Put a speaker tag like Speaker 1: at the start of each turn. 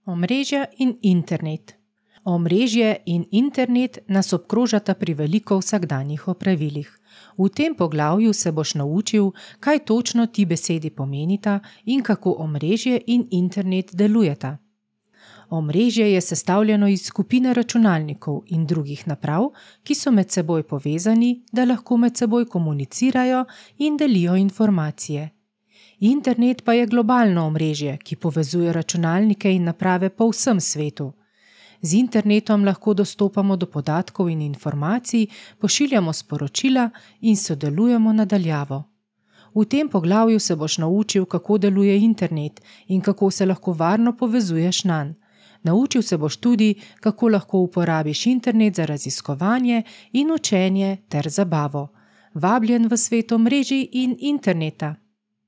Speaker 1: Omrežja in internet. Omrežje in internet nas obkrožata pri veliko vsakdanjih opravilih. V tem poglavju se boš naučil, kaj točno ti besedi pomenita in kako omrežje in internet delujeta. Omrežje je sestavljeno iz skupine računalnikov in drugih naprav, ki so med seboj povezani, da lahko med seboj komunicirajo in delijo informacije. Internet pa je globalno omrežje, ki povezuje računalnike in naprave po vsem svetu. Z internetom lahko dostopamo do podatkov in informacij, pošiljamo sporočila in sodelujemo na daljavo. V tem poglavju se boš naučil, kako deluje internet in kako se lahko varno povezuješ nanj. Naučil se boš tudi, kako lahko uporabiš internet za raziskovanje in učenje ter zabavo. Vabljen v svet omrežij in interneta.